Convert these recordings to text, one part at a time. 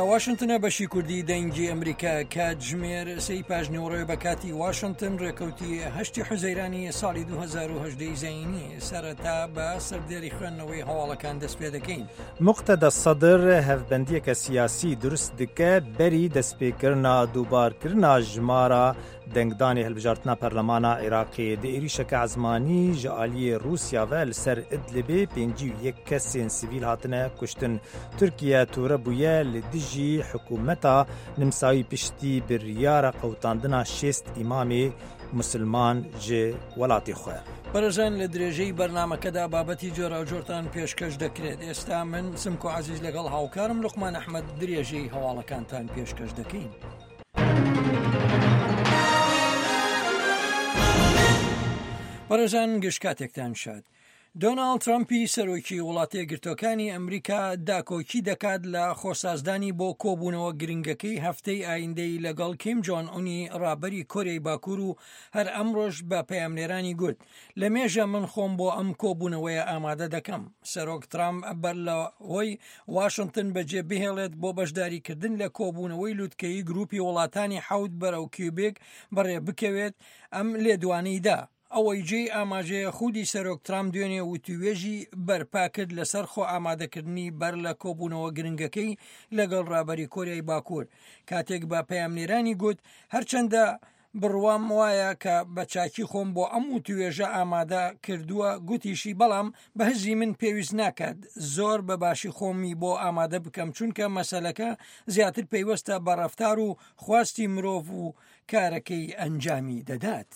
واشنتنە بەشی کوردی دەنگی ئەمریکا کاتژمێر سێی پاژنیوەڕۆی بە کاتی واشنتن ڕێکەوتی هەشتی حوزەیرانی ساڵی 2010 زەینی سەرەتا بە سەردێری خوێندنەوەی هەواڵەکان دەست پێ دەکەین. مقتەدا سەدر هەڤبەندیەکە سیاسی دروست دکە بەری دەستپێکردنا دووبارکردنا ژمارە دەنگدانی هەلبژارتنا پەرلەمانا عێراقێ di êrîşeke ezmanî ji aliyê Rûsya ve li ser Idlibê 51 kesên sivîl hatine kuştin. Tirkiye tûre bûye li dijî hikûmeta Nimsawî piştî biryara qewitandina 60 îmamê musilman ji welatê xwe. بەڕێزان لە درێژەی بەرنامەکەدا بابەتی جۆراوجۆرتان پێشکەش دەکرێت ئێستا من سمکۆ عەزیز لەگەڵ هاوکارم لوقمان ئەحمەد درێژەی هەواڵەکانتان پێشکەش دەکەین. بەڕێزان گشت کاتێکتان شاد. دۆناڵد ترەمپی سەرۆکی وڵاتەیەکگرتووەکانی ئەمریکا داکۆکی دەکات لە خۆسازدانی بۆ کۆبوونەوە گرنگەکەی هەفتەی ئایندەی لەگەڵ کیم جۆن ئونی ڕابەری کۆریای باکوور و هەر ئەمڕۆش بە پەیامنێرانی گوت لە مێژە من خۆم بۆ ئەم کۆبوونەوەیە ئامادە دەکەم. سەرۆک ترامپ بەر لەوەی واشنتن بەجێ بهێڵێت بۆ بەشداریکردن لە کۆبوونەوەی لوتکەیی گروپی وڵاتانی حەوت بەرەو کیوبێک بەڕێ بکەوێت ئەم لێدوانەی دا. ئەوەی جێی ئاماژەیە خودی سەرۆک ترامپ دوێنێ وتووێژی بەرپا کرد لەسەر خۆ ئامادەکردنی بەر لە کۆبوونەوە گرنگەکەی لەگەڵ ڕابەری کۆریای باکوور کاتێک بە پەیامنێرانی گوت هەرچەندە بڕوام وایە کە بە چاکی خۆم بۆ ئەم وتوێژە ئامادە کردووە، گوتیشی، بەڵام بە هزری من پێویست ناکات زۆر بە باشی خۆمی بۆ ئامادە بکەم، چونکە مەسەلەکە زیاتر پەیوەستە بە ڕەفتار و خواستی مرۆڤ و کارەکەی ئەنجامی دەدات.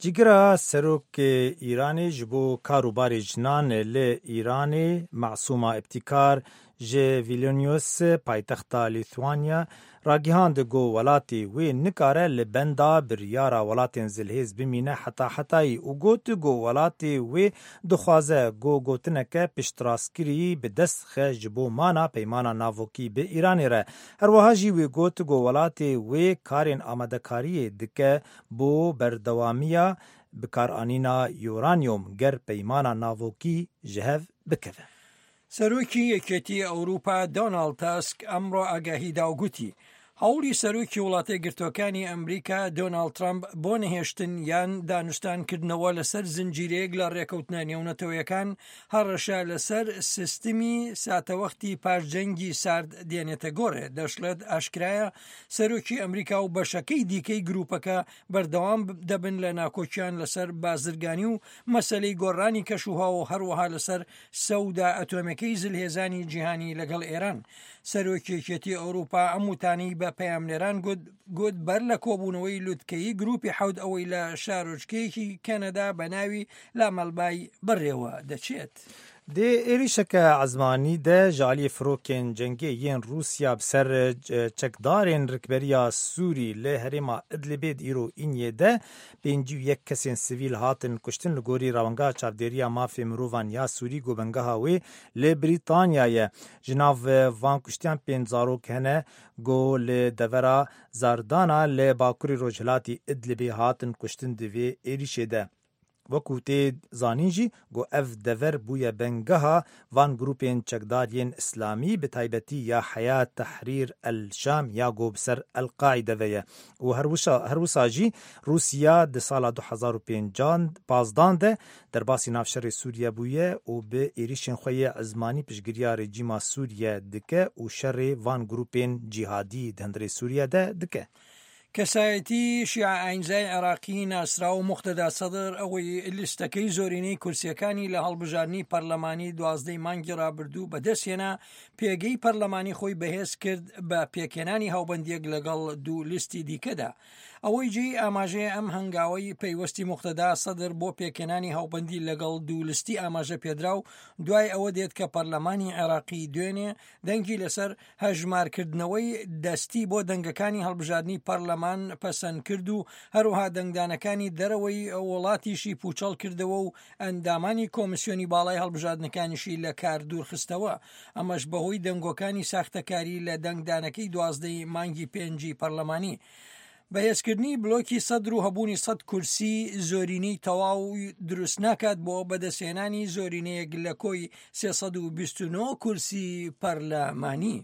جیگرا سەرۆکê Îranê ji bo kar û barê jinan li Îranê Masûma Îbtîkar ji Vilnius paytexta Lîthwanya ragihand ku welatê wê nikare li benda biryara welatên zilhêz bimîne heta hetayî û got ku welatê wê dixwaze ku gotineke piştrastkirî bi dest xe ji bo mana peymana navokî bi Îranê re. Herwiha jî wê got ku welatê wê karên amadekariyê dike bo berdewamiya bikaranîna uranyum ger peymana navokî ji hev bikeve. سەرۆکی یەکێتی ئەوروپا دۆناڵد تاسک ئەمڕۆ ئاگاهی دا و گوتی، هەوڵی سەرۆکی وڵاتەیەکگرتووەکانی ئەمریکا دۆناڵد ترەمپ بۆ نەهێشتن یان دانوستان کردنەوە لەسەر زنجیرەیەک لە ڕێکەوتنە نێونەتەوەیەکان هەڕەشە لەسەر سیستمی ساتەوەختی پاش جەنگی سارد دێنێتە گۆڕێ. دەشڵێت ئاشکرایە سەرۆکی ئەمریکا و بەشەکەی دیکەی گروپەکە بەردەوام دەبن لە ناکۆکیان لەسەر بازرگانی و مەسەلەی گۆڕانی کەشوهەوا و هەروەها لەسەر سەودا ئەتۆمیەکەی زلهێزانی جیهانی لەگەڵ ئێران. سەرۆکی یەکێتی ئەوروپا ئەم وتانەی بە پەیامنێران گوت گوت بەر لە کۆبوونەوەی لوتکەیی گروپی حەوت ئەوەی لە شارۆچکەیەکی کەنەدا بە ناوی لامەلبای بەڕێوە دەچێت. Di êrîşeke ezmanî de ji aliyê firokên cengê yên Rûsya bi ser çekdarên rikberiya Sûrî li herêma Idlibê di îro Îniyê de 51 kesên sivîl hatin kuştin li gorî Rawengeha Çavdêriya Mafê Mirovan ya Sûrî ku bengeha wê li Brîtanya ye. Ji nav van kuştiyan pênc zarok hene ku li devera Zardana li bakurê rojhilatî Idlibê hatin kuştin di vê êrîşê de. Wekû tê zanîn jî ku ev dever bûye bengeha van grûpên çekdar yên îslamî bi taybetî ya Heyat Tehrîr El Şam ya ku bi ser El Qaîde ve ye û her wisa jî Rûsya di sala du hezar û pêncan de derbasî nav şerê Sûriye bûye û bi êrîşên xwe yê ezmanî piştgiriya rejîma Sûriye dike û şerê van grûpên cîhadî di hundirê Sûriye de dike. کەسایەتی شیعە ئاینزای عێراقی ناسراو موقتەدا سەدر ئەوەی لیستەکەی زۆرینەی کورسیەکانی لە هەڵبژاردنی پەرلەمانی دوازدەی مانگی ڕابردوو بەدەستهێنا، پێگەی پەرلەمانی خۆی بەهێز کرد بە پێکهێنانی هاوبەندیەک لەگەڵ دوو لیستی دیکەدا. ئەوەی جێی ئاماژەیە ئەم هەنگاوەی پەیوەستی موقتەدا سەدر بۆ پێکهێنانی هاوبەندی لەگەڵ دوو لستی ئاماژە پێدراو دوای ئەوە دێت کە پەرلەمانی عێراقی دوێنێ دەنگی لەسەر هەژمارکردنەوەی دەستی بۆ دەنگەکانی هەڵبژاردنی پەرلەمان پەسەندکرد و هەروەها دەنگدانەکانی دەرەوەی وڵاتیشی پوچەڵ کردەوە و ئەندامانی کۆمسیۆنی باڵای هەڵبژاردنەکانیشی لە کار دوورخستەوە، ئەمەش بەهۆی دەنگۆکانی ساختەکاری لە دەنگدانەکەی دوازدەی مانگی پێنجی پەرلەمانی. بەهێزکردنی بلۆکی سەدر و هەبوونی سەد کورسی زۆرینەی تەواو دروست ناکات بۆ بەدەستهێنانی زۆرینەیەک لە کۆی 329 کورسی پەرلەمانی.